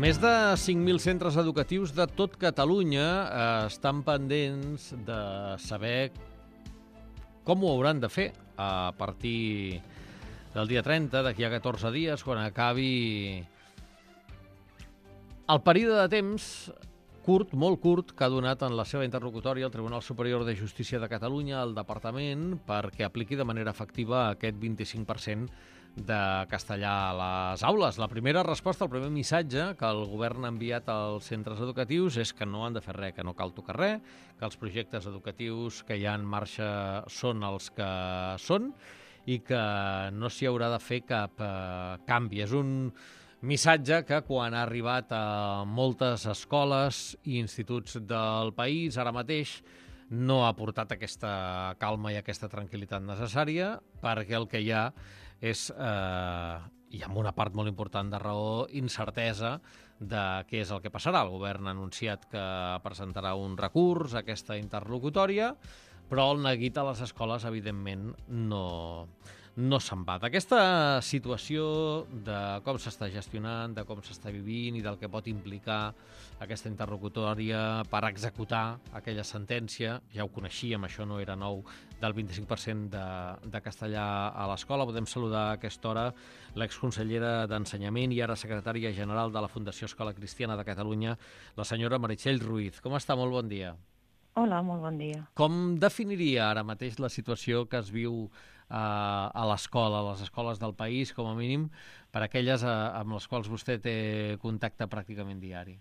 Més de 5.000 centres educatius de tot Catalunya estan pendents de saber com ho hauran de fer a partir del dia 30, d'aquí a 14 dies, quan acabi el període de temps curt, molt curt, que ha donat en la seva interlocutòria el Tribunal Superior de Justícia de Catalunya al Departament perquè apliqui de manera efectiva aquest 25% de castellà a les aules. La primera resposta, el primer missatge que el govern ha enviat als centres educatius és que no han de fer res, que no cal tocar res, que els projectes educatius que hi ha en marxa són els que són i que no s'hi haurà de fer cap canvi. És un missatge que quan ha arribat a moltes escoles i instituts del país ara mateix no ha portat aquesta calma i aquesta tranquil·litat necessària, perquè el que hi ha és, i amb una part molt important de raó, incertesa de què és el que passarà. El govern ha anunciat que presentarà un recurs a aquesta interlocutòria, però el neguit a les escoles, evidentment, no se'n va. D'aquesta situació, de com s'està gestionant, de com s'està vivint i del que pot implicar aquesta interlocutòria per executar aquella sentència, ja ho coneixíem, això no era nou, del 25% de castellà a l'escola. Podem saludar a aquesta hora l'exconsellera d'Ensenyament i ara secretària general de la Fundació Escola Cristiana de Catalunya, la senyora Meritxell Ruiz. Com està? Molt bon dia. Hola, molt bon dia. Com definiria ara mateix la situació que es viu a l'escola, a les escoles del país, com a mínim, per aquelles amb les quals vostè té contacte pràcticament diari?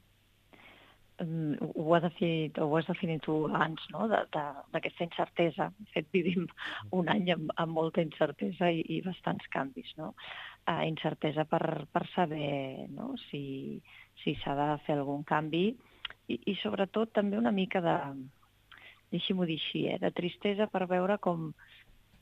Ho has definit tu abans, no?, d'aquesta incertesa. De fet, vivim un any amb molta incertesa i bastants canvis, no? Incertesa per saber, no?, si s'ha de fer algun canvi i sobretot també una mica de, deixi-m'ho dir així, de tristesa per veure com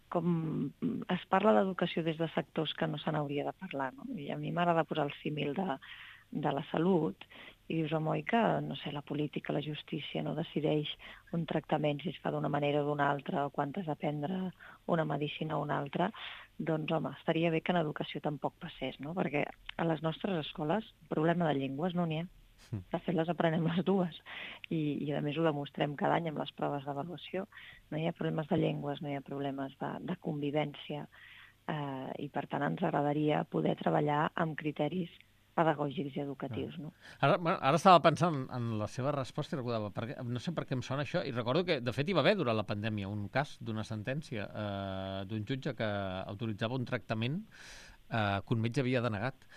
es parla d'educació des de sectors que no se n'hauria de parlar, no? I a mi m'agrada posar el símil de la salut i dius, home, oi que, no sé, la política, la justícia no decideix un tractament si es fa d'una manera o d'una altra o quan has d'aprendre una medicina o una altra, doncs, home, estaria bé que en educació tampoc passés, no? Perquè a les nostres escoles problema de llengües no n'hi ha. De fet, les aprenem les dues i a més ho demostrem cada any amb les proves d'avaluació. No hi ha problemes de llengües, no hi ha problemes de convivència i, per tant, ens agradaria poder treballar amb criteris pedagògics i educatius. No? Ara estava pensant en la seva resposta i recordava, no sé per què em sona això, i recordo que, de fet, hi va haver durant la pandèmia un cas d'una sentència d'un jutge que autoritzava un tractament que un metge havia denegat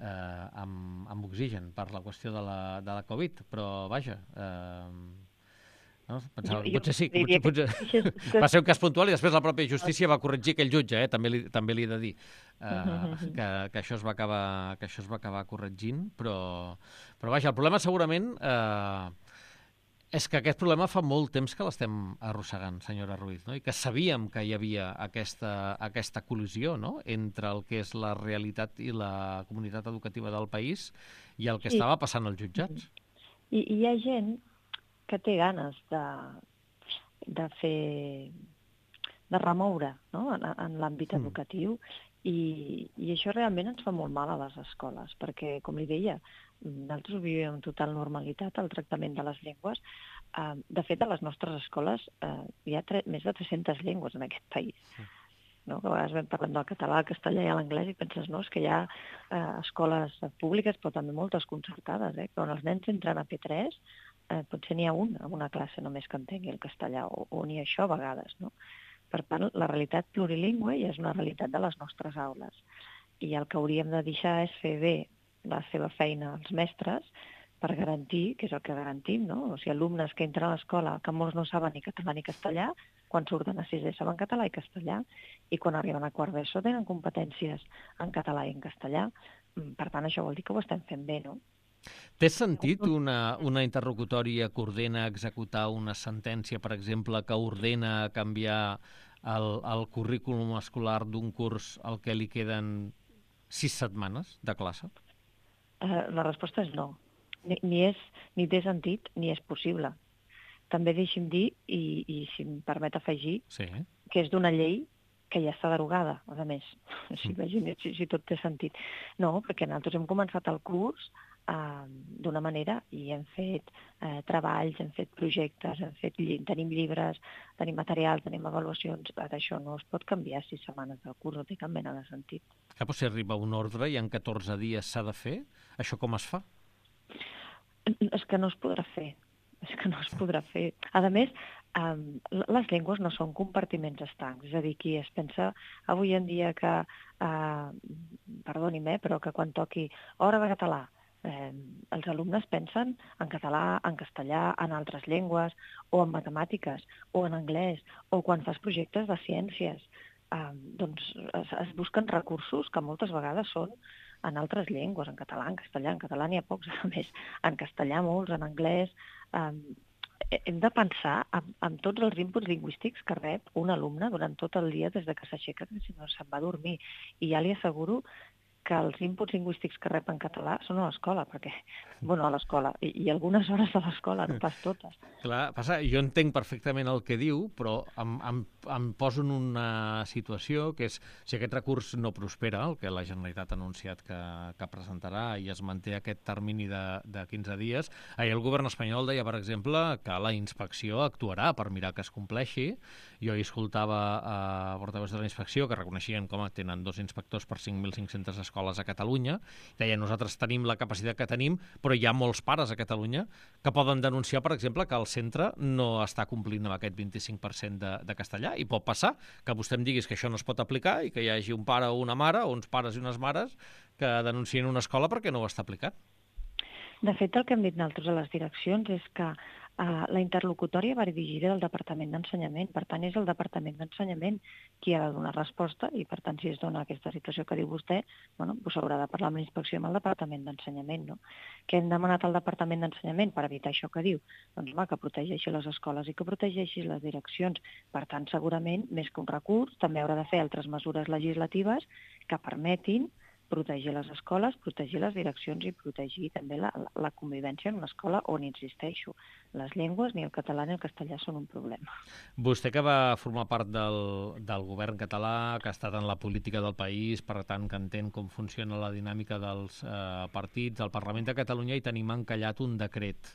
amb oxigen per la qüestió de la Covid, però vaja, no? Pensava, potser sí, potser va ser un cas puntual i després la pròpia justícia va corregir aquell jutge, també li he de dir que això es va acabar corregint, però vaja, el problema segurament és que aquest problema fa molt temps que l'estem arrossegant, senyora Ruiz, no? I que sabíem que hi havia aquesta col·lisió, no?, entre el que és la realitat i la comunitat educativa del país i el que estava passant als jutjats. I hi ha gent que té ganes de fer, de remoure, no?, en l'àmbit educatiu i això realment ens fa molt mal a les escoles, perquè, com li deia, nosaltres ho vivim amb total normalitat, el tractament de les llengües. De fet, a les nostres escoles hi ha més de 300 llengües en aquest país. No? Que a vegades parlem del català, el castellà i l'anglès i penses, no, és que hi ha escoles públiques, però també moltes concertades, que on els nens entren a P3 potser n'hi ha un en una classe només que entengui el castellà, o ni això a vegades, no? Per tant, la realitat plurilingüe ja és una realitat de les nostres aules. I el que hauríem de deixar és fer bé la seva feina als mestres per garantir, que és el que garantim, no? O sigui, alumnes que entren a l'escola, que molts no saben ni català ni castellà, quan surten a sisè saben català i castellà, i quan arriben a quart d'ESO tenen competències en català i en castellà. Per tant, això vol dir que ho estem fent bé, no? Té sentit una interlocutòria que ordena executar una sentència, per exemple, que ordena canviar el currículum escolar d'un curs al que li queden 6 setmanes de classe? La resposta és no. Ni té sentit ni és possible. També deixi'm dir, i si em permet afegir, que és d'una llei que ja està derogada, a més. Si tot té sentit. No, perquè nosaltres hem començat el curs d'una manera i hem fet treballs, hem fet projectes, tenim llibres, tenim material, tenim avaluacions. Això no es pot canviar 6 setmanes del curs, no té cap mena de sentit. Però si arriba un ordre i en 14 dies s'ha de fer, això com es fa? És que no es podrà fer. És que no es podrà fer. A més, les llengües no són compartiments estancs. És a dir, qui es pensa avui en dia que, perdoni'm, però que quan toqui hora de català, els alumnes pensen en català, en castellà, en altres llengües, o en matemàtiques, o en anglès, o quan fas projectes de ciències. Doncs es busquen recursos que moltes vegades són en altres llengües, en català, en castellà. En català n'hi ha pocs, a més, en castellà molts, en anglès. Hem de pensar en tots els inputs lingüístics que rep un alumne durant tot el dia des de que s'aixeca fins que se'n va a dormir. I ja li asseguro que els inputs lingüístics que rep en català són a l'escola, perquè, bueno, a l'escola, i algunes hores a l'escola, no pas totes. Clar, passa, jo entenc perfectament el que diu, però em poso en una situació que és, si aquest recurs no prospera, el que la Generalitat ha anunciat que presentarà i es manté aquest termini de 15 dies, ahir el govern espanyol deia, per exemple, que la inspecció actuarà per mirar que es compleixi. Jo hi escoltava portaveus de la inspecció que reconeixien com tenen 2 inspectors per 5.500 escoles a Catalunya. Deia, nosaltres tenim la capacitat que tenim, però hi ha molts pares a Catalunya que poden denunciar, per exemple, que el centre no està complint amb aquest 25% de castellà, i pot passar que vostè em diguis que això no es pot aplicar i que hi hagi un pare o una mare, o uns pares i unes mares, que denuncien una escola perquè no ho està aplicant. De fet, el que hem dit nosaltres a les direccions és que la interlocutòria va dirigida al Departament d'Ensenyament. Per tant, és el Departament d'Ensenyament qui ha de donar resposta i, per tant, si es dona aquesta situació que diu vostè, bueno, doncs s'haurà de parlar amb la inspecció i amb el Departament d'Ensenyament, no? Què hem demanat al Departament d'Ensenyament per evitar això que diu? Doncs, home, que protegeixi les escoles i que protegeixi les direccions. Per tant, segurament, més que un recurs, també haurà de fer altres mesures legislatives que permetin protegir les escoles, protegir les direccions i protegir també la convivència en una escola on, insisteixo, les llengües, ni el català ni el castellà, són un problema. Vostè, que va formar part del govern català, que ha estat en la política del país, per tant, que entén com funciona la dinàmica dels partits, al Parlament de Catalunya hi tenim encallat un decret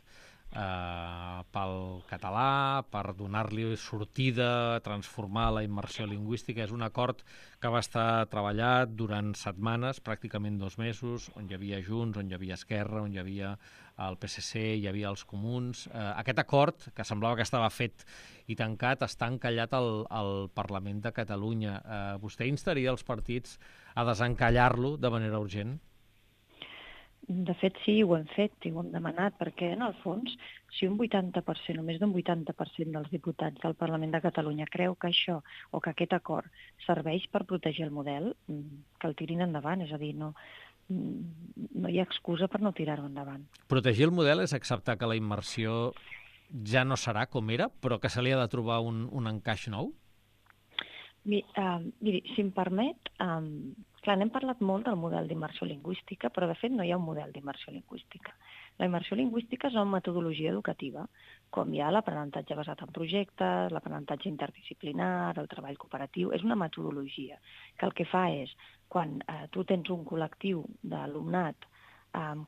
pel català, per donar-li sortida, transformar la immersió lingüística. És un acord que va estar treballat durant setmanes, pràcticament 2 mesos, on hi havia Junts, on hi havia Esquerra, on hi havia el PSC, hi havia els Comuns. Aquest acord, que semblava que estava fet i tancat, està encallat al Parlament de Catalunya. Vostè instaria els partits a desencallar-lo de manera urgent? De fet, sí, ho hem fet i ho hem demanat, perquè, en el fons, si un 80% o més d'un 80% dels diputats del Parlament de Catalunya creu que això o que aquest acord serveix per protegir el model, que el tirin endavant. És a dir, no hi ha excusa per no tirar-ho endavant. Protegir el model és acceptar que la immersió ja no serà com era, però que se li ha de trobar un encaix nou? Miri, si em permet, clar, n'hem parlat molt del model d'immersió lingüística, però de fet no hi ha un model d'immersió lingüística. La immersió lingüística és una metodologia educativa, com hi ha l'aprenentatge basat en projectes, l'aprenentatge interdisciplinar, el treball cooperatiu. És una metodologia que el que fa és, quan tu tens un col·lectiu d'alumnat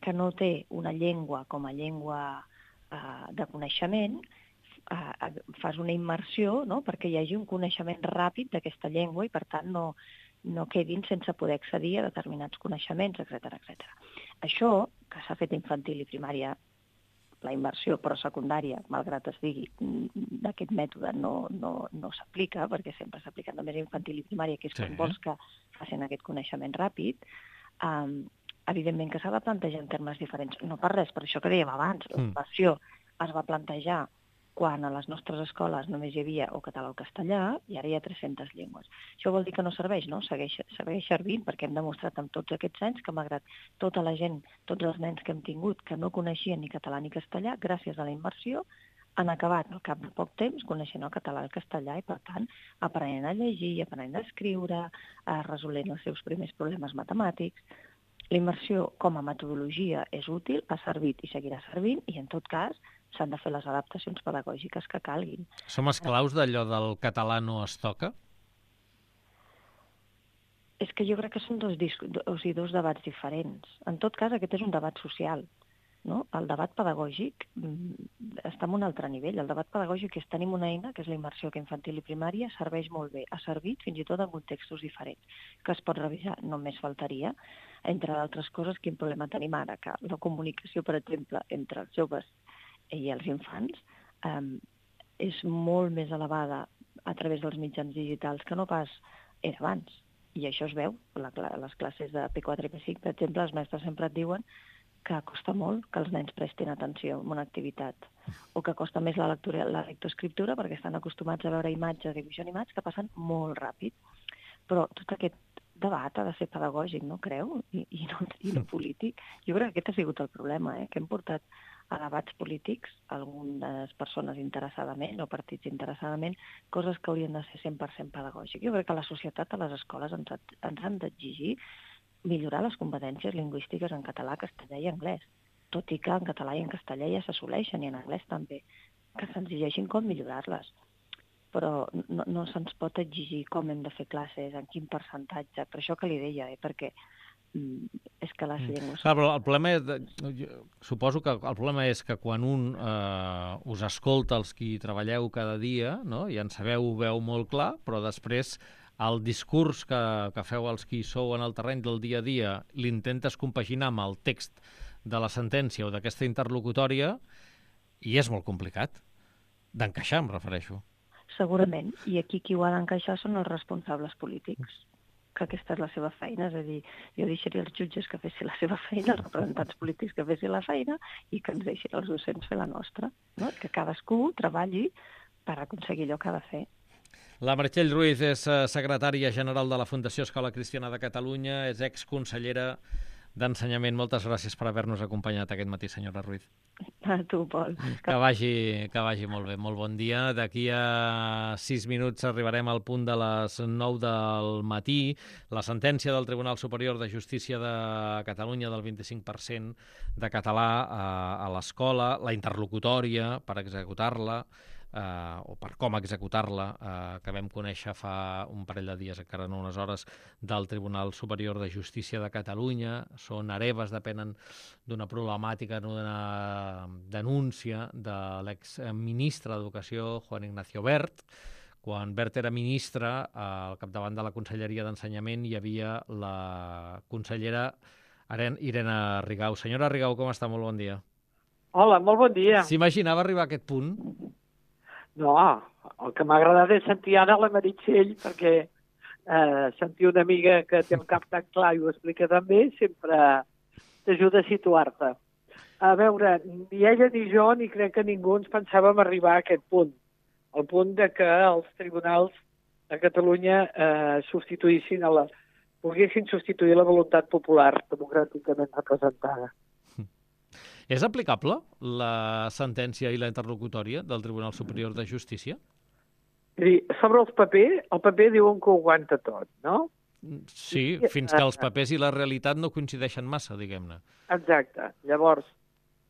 que no té una llengua com a llengua de coneixement, fas una immersió, no?, perquè hi hagi un coneixement ràpid d'aquesta llengua i, per tant, no quedin sense poder accedir a determinats coneixements, etc. Això, que s'ha fet a infantil i primària, la immersió, però secundària, malgrat es digui, d'aquest mètode no s'aplica, perquè sempre s'aplica només a infantil i primària, que és quan vols que facin aquest coneixement ràpid. Evidentment que s'ha de plantejar en termes diferents. No per res, per això que dèiem abans, la immersió es va plantejar quan a les nostres escoles només hi havia o català o castellà, i ara hi ha 300 llengües. Això vol dir que no serveix, no? Segueix servint, perquè hem demostrat amb tots aquests anys que, malgrat tota la gent, tots els nens que hem tingut que no coneixien ni català ni castellà, gràcies a la immersió, han acabat al cap de poc temps coneixent el català i el castellà i, per tant, aprenent a llegir, aprenent a escriure, resolent els seus primers problemes matemàtics. La immersió com a metodologia és útil, ha servit i seguirà servint, i en tot cas s'han de fer les adaptacions pedagògiques que calguin. Som esclaus d'allò del català no es toca? És que jo crec que són dos debats diferents. En tot cas, aquest és un debat social. No? El debat pedagògic està en un altre nivell. El debat pedagògic és tenim una eina, que és la immersió que infantil i primària, serveix molt bé. Ha servit fins i tot en contextos diferents, que es pot revisar, només faltaria. Entre d'altres coses, quin problema tenim ara? Que la comunicació, per exemple, entre els joves i els infants és molt més elevada a través dels mitjans digitals que no pas era abans. I això es veu. Les classes de P4 i P5, per exemple, els mestres sempre et diuen que costa molt que els nens prestin atenció a una activitat, o que costa més la lectoescriptura perquè estan acostumats a veure imatges, dibuix animats, que passen molt ràpid. Però tot aquest debat ha de ser pedagògic, no creu? I no polític. Jo crec que aquest ha sigut el problema, que hem portat a debats polítics, algunes persones interessadament o partits interessadament, coses que haurien de ser 100% pedagògiques. Jo crec que la societat, a les escoles, ens han d'exigir millorar les competències lingüístiques en català, castellà i anglès, tot i que en català i en castellà ja s'assoleixen, i en anglès també, que se'ns exigeixin com millorar-les. Però no se'ns pot exigir com hem de fer classes, en quin percentatge, per això que li deia, perquè és que les llengües... Clar, però el problema suposo que el problema és que quan un us escolta els qui treballeu cada dia, no? I en sabeu, ho veu molt clar, però després el discurs que feu els qui sou en el terreny del dia a dia l'intentes compaginar amb el text de la sentència o d'aquesta interlocutòria i és molt complicat d'encaixar, em refereixo. Segurament, i aquí qui ho ha d'encaixar són els responsables polítics, que aquesta és la seva feina, és a dir, jo deixaria els jutges que fessin la seva feina, els representants polítics que fessin la feina i que ens deixin els docents fer la nostra, no? Que cadascú treballi per aconseguir allò que ha de fer. La Meritxell Ruiz és secretària general de la Fundació Escola Cristiana de Catalunya, és exconsellera d'Ensenyament. Moltes gràcies per haver-nos acompanyat aquest matí, senyora Ruiz. A tu, Pol. Que vagi molt bé, molt bon dia. D'aquí a 6 minuts arribarem al punt de les 9 del matí. La sentència del Tribunal Superior de Justícia de Catalunya del 25% de català a l'escola, la interlocutòria per executar-la, o per com executar-la, que vam conèixer fa un parell de dies, encara no unes hores, del Tribunal Superior de Justícia de Catalunya. Són hereves, depenen d'una problemàtica, d'una denúncia de l'exministre d'Educació, Juan Ignacio Wert. Quan Wert era ministre, al capdavant de la Conselleria d'Ensenyament hi havia la consellera Irene Rigau. Senyora Rigau, com està? Molt bon dia. Hola, molt bon dia. S'imaginava arribar a aquest punt? No, el que m'ha agradat és sentir ara la Meritxell, perquè sentir una amiga que té el cap tan clar i ho explica tan bé sempre t'ajuda a situar-te. A veure, ni ella ni jo, ni crec que ningú ens pensàvem arribar a aquest punt. El punt de que els tribunals a Catalunya poguessin substituir la voluntat popular democràticament representada. És aplicable la sentència i la interlocutòria del Tribunal Superior de Justícia? Sobre el paper diuen que ho aguanta tot, no? Sí, fins que els papers i la realitat no coincideixen massa, diguem-ne. Exacte. Llavors,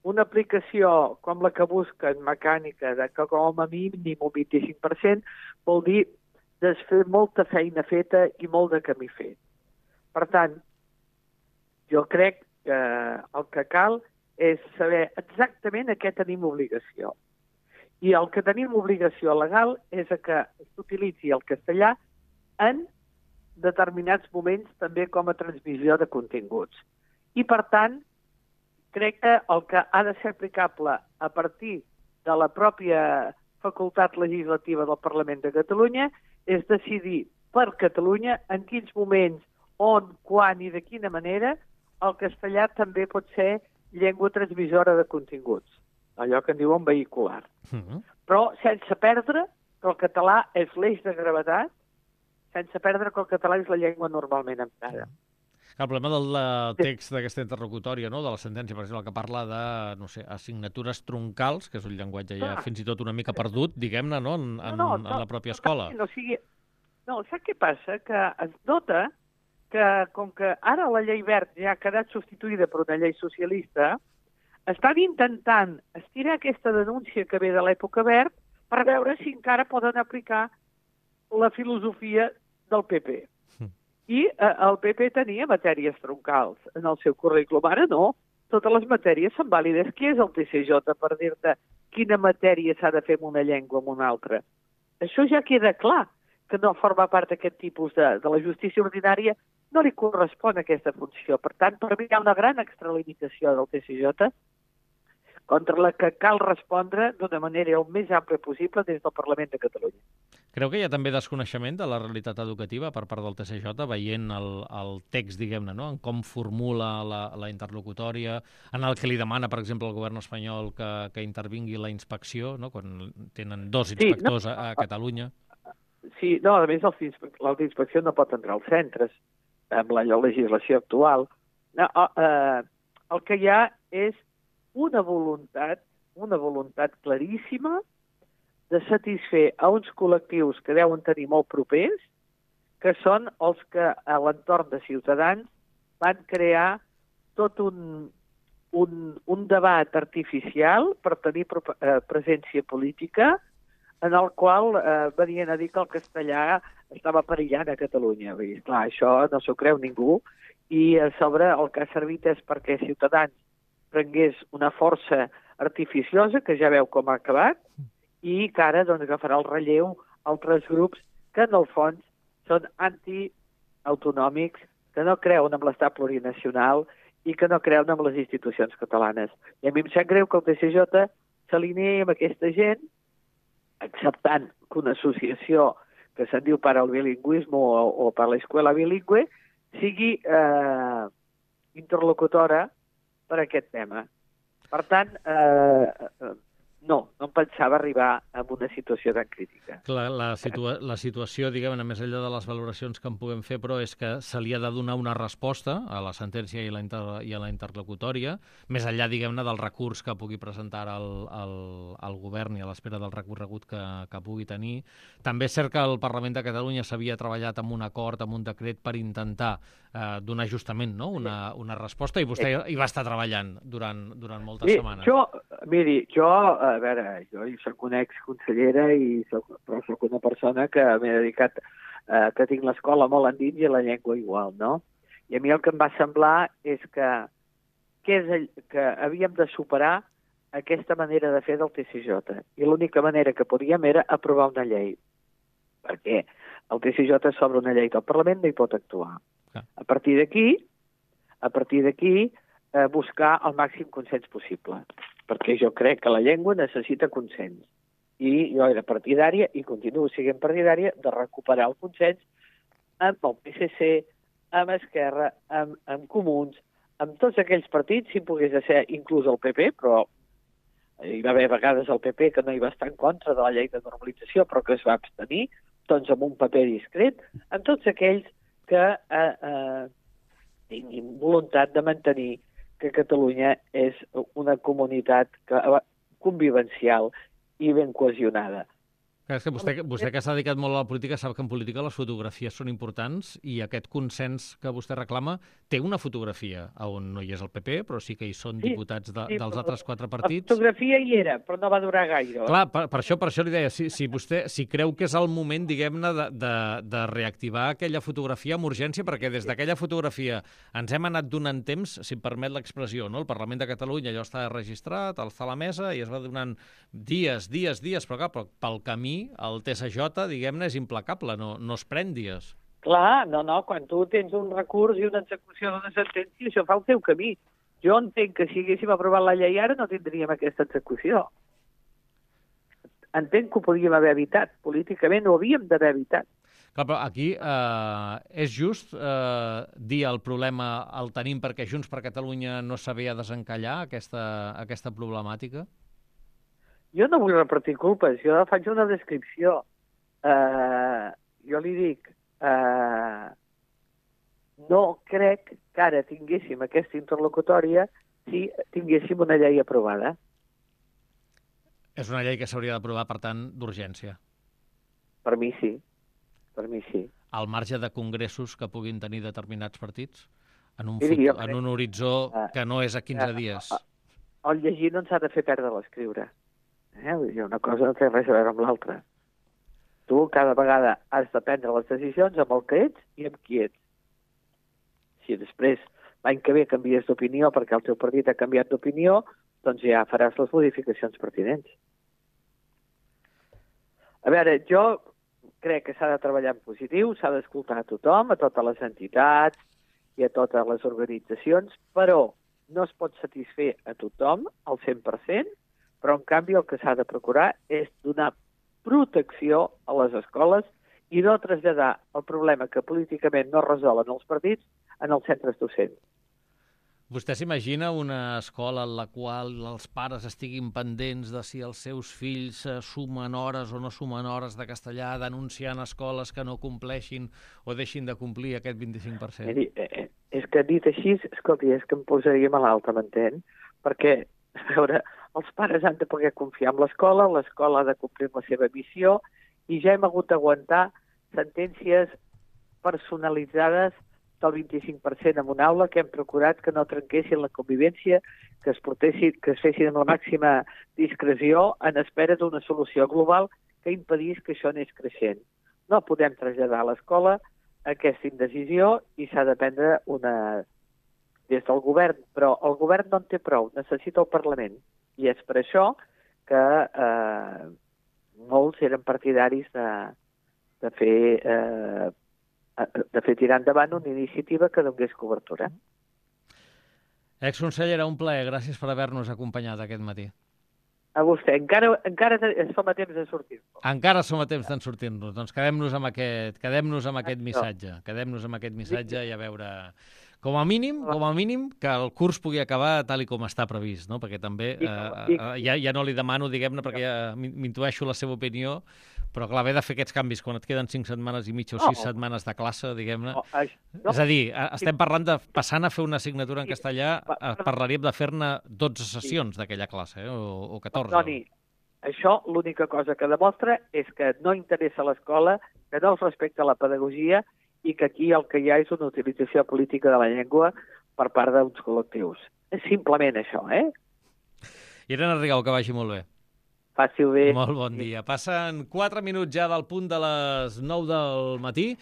una aplicació com la que busquen mecànica, de que com a mínim un 25%, vol dir desfer molta feina feta i molt de camí fet. Per tant, jo crec que el que cal és saber exactament a què tenim obligació. I el que tenim obligació legal és que s'utilitzi el castellà en determinats moments també com a transmissió de continguts. I, per tant, crec que el que ha de ser aplicable a partir de la pròpia facultat legislativa del Parlament de Catalunya és decidir per Catalunya en quins moments, on, quan i de quina manera el castellà també pot ser llengua transmissora de continguts, allò que en diuen vehicular. Però sense perdre que el català és l'eix de gravetat, sense perdre que el català és la llengua normalment emprada. El problema del text d'aquesta interlocutòria, no? De la sentència, per exemple, que parla de, no sé, assignatures troncals, que és un llenguatge ja fins i tot una mica perdut, diguem-ne, no? En la pròpia escola. No, saps què passa? Que es nota que, com que ara la llei Wert ja ha quedat substituïda per una llei socialista, estan intentant estirar aquesta denúncia que ve de l'època Wert per veure si encara poden aplicar la filosofia del PP. I el PP tenia matèries troncals en el seu currículum. Ara no. Totes les matèries són vàlides. Qui és el TCJ per dir-te quina matèria s'ha de fer en una llengua o en una altra? Això ja queda clar, que no forma part d'aquest tipus de la justícia ordinària, no li correspon aquesta funció. Per tant, per mi hi ha una gran extralimitació del TCJ contra la que cal respondre d'una manera el més àmplia possible des del Parlament de Catalunya. Creu que hi ha també desconeixement de la realitat educativa per part del TCJ, veient el text, diguem-ne, no? En com formula la interlocutòria, en el que li demana, per exemple, al govern espanyol que intervingui la inspecció, no? Quan tenen 2 inspectors a Catalunya. Sí, no, a més, la inspecció no pot entrar als centres amb la legislació actual. No, el que hi ha és una voluntat claríssima de satisfer a uns col·lectius que deuen tenir molt propers, que són els que a l'entorn de Ciutadans van crear tot un debat artificial per tenir presència política, en el qual venien a dir que el castellà estava perillant a Catalunya. Vull dir, clar, això no s'ho creu ningú, i a sobre el que ha servit és perquè Ciutadans prengués una força artificiosa, que ja veu com ha acabat, i que ara doncs, agafarà el relleu altres grups que en el fons són antiautonòmics, que no creuen en l'estat plurinacional i que no creuen en les institucions catalanes. I a mi em sap greu que el TCJ s'alineï amb aquesta gent, acceptant que una associació que se'n diu per al bilingüisme o per l'escola bilingüe sigui interlocutora per aquest tema. Per tant, no em pensava arribar a una situació tan crítica. Clar, la situació, diguem-ne, més enllà de les valoracions que en puguem fer, però és que se li ha de donar una resposta a la sentència i a la interlocutòria, més enllà, diguem-ne, del recurs que pugui presentar el govern i a l'espera del recorregut que pugui tenir. També és cert que el Parlament de Catalunya s'havia treballat amb un acord, amb un decret, per intentar donar justament, no? una resposta, i vostè hi va estar treballant durant moltes setmanes. Jo, a veure, jo soc una exconsellera, però soc una persona que m'he dedicat, que tinc l'escola molt endins i la llengua igual, no? I a mi el que em va semblar és que havíem de superar aquesta manera de fer del TCJ. I l'única manera que podíem era aprovar una llei. Perquè el TCJ sobre una llei del Parlament no hi pot actuar. A partir d'aquí, buscar el màxim consens possible, perquè jo crec que la llengua necessita consens. I jo era partidària, i continuo sent partidària, de recuperar el consens amb el PSC, amb Esquerra, amb Comuns, amb tots aquells partits, si pogués ser inclús el PP, però hi va haver vegades el PP que no hi va estar en contra de la llei de normalització, però que es va abstenir, doncs amb un paper discret, amb tots aquells que tinguin voluntat de mantenir que Catalunya és una comunitat convivencial i ben cohesionada. És que vostè que s'ha dedicat molt a la política sap que en política les fotografies són importants, i aquest consens que vostè reclama té una fotografia on no hi és el PP, però sí que hi són diputats dels altres 4 partits. La fotografia hi era, però no va durar gaire. Clar, per això li deia, si creu que és el moment, diguem-ne, de reactivar aquella fotografia amb urgència, perquè des d'aquella fotografia ens hem anat donant temps, si em permet l'expressió, no? El Parlament de Catalunya allò està registrat, està a la mesa, i es va donant dies, però clar, pel camí el TSJ, diguem-ne, és implacable, no es pren dies. Clar, no, quan tu tens un recurs i una execució d'una sentència, això fa el teu camí. Jo entenc que si haguéssim aprovat la llei ara no tindríem aquesta execució. Entenc que ho podíem haver evitat, políticament ho havíem d'haver evitat. Clar, però aquí és just dir el problema el tenim perquè Junts per Catalunya no sabia desencallar aquesta problemàtica? Jo no vull repartir culpes, jo faig una descripció. Jo li dic, no crec que ara tinguéssim aquesta interlocutòria si tinguéssim una llei aprovada. És una llei que s'hauria d'aprovar, per tant, d'urgència. Per mi sí. Al marge de congressos que puguin tenir determinats partits? En un horitzó que no és a 15 dies. El llegir no ens ha de fer perdre l'escriure. Una cosa no té res a veure amb l'altra. Tu cada vegada has de prendre les decisions amb el que ets i amb qui ets. Si després l'any que ve canvies d'opinió perquè el teu partit ha canviat d'opinió, doncs ja faràs les modificacions pertinents. A veure, jo crec que s'ha de treballar en positiu, s'ha d'escoltar a tothom, a totes les entitats i a totes les organitzacions, però no es pot satisfer a tothom al 100%, però en canvi el que s'ha de procurar és donar protecció a les escoles i no traslladar el problema que políticament no resolen els partits en els centres docents. Vostè s'imagina una escola en la qual els pares estiguin pendents de si els seus fills sumen hores o no sumen hores de castellà, denunciant escoles que no compleixin o deixin de complir aquest 25%? Miri, és que dit així, escolti, és que em posaria malalt, m'entén? Perquè, a veure, els pares han de poder confiar en l'escola ha de complir la seva missió i ja hem hagut d'aguantar sentències personalitzades del 25% en una aula que hem procurat que no trenquessin la convivència, que es fessin amb la màxima discreció en espera d'una solució global que impedís que això anés creixent. No podem traslladar a l'escola aquesta indecisió i s'ha de prendre una des del govern, però el govern no en té prou, necessita el Parlament. I és per això que molts eren partidaris de fer tirar endavant una iniciativa que donés cobertura. Exconsellera, un plaer. Gràcies per haver-nos acompanyat aquest matí. A vostè. Encara som a temps de sortir-nos. Encara som a temps de sortir-nos. Doncs quedem-nos amb aquest missatge. Quedem-nos amb aquest missatge i a veure... Com a mínim, que el curs pugui acabar tal com està previst, no? Perquè també, ja no li demano, diguem-ne, perquè ja m'intueixo la seva opinió, però clar, haver de fer aquests canvis quan et queden 5 setmanes i mitja o 6 setmanes de classe, diguem-ne... És a dir, estem parlant de, passant a fer una assignatura en castellà, parlaríem de fer-ne 12 sessions d'aquella classe, o 14. Toni, això l'única cosa que demostra és que no interessa a l'escola, que no es respecta la pedagogia i que aquí el que hi ha és una utilització política de la llengua per part d'uns col·lectius. És simplement això, Irene Rigau, que vagi molt bé. Faci-ho bé. Molt bon dia. Passen 4 minuts ja del punt de les 9 del matí.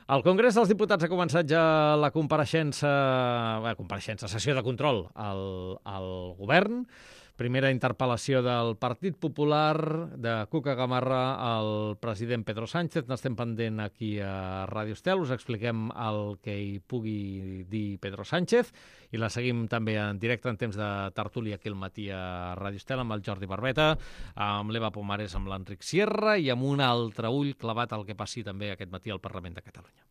Al Congrés dels Diputats ha començat ja la sessió de control al govern. Primera interpel·lació del Partit Popular de Cuca Gamarra al president Pedro Sánchez. N'estem pendent aquí a Ràdio Estel. Us expliquem el que hi pugui dir Pedro Sánchez i la seguim també en directe en temps de tertúlia aquí al matí a Ràdio Estel amb el Jordi Barbeta, amb l'Eva Pomares, amb l'Enric Sierra i amb un altre ull clavat al que passi també aquest matí al Parlament de Catalunya.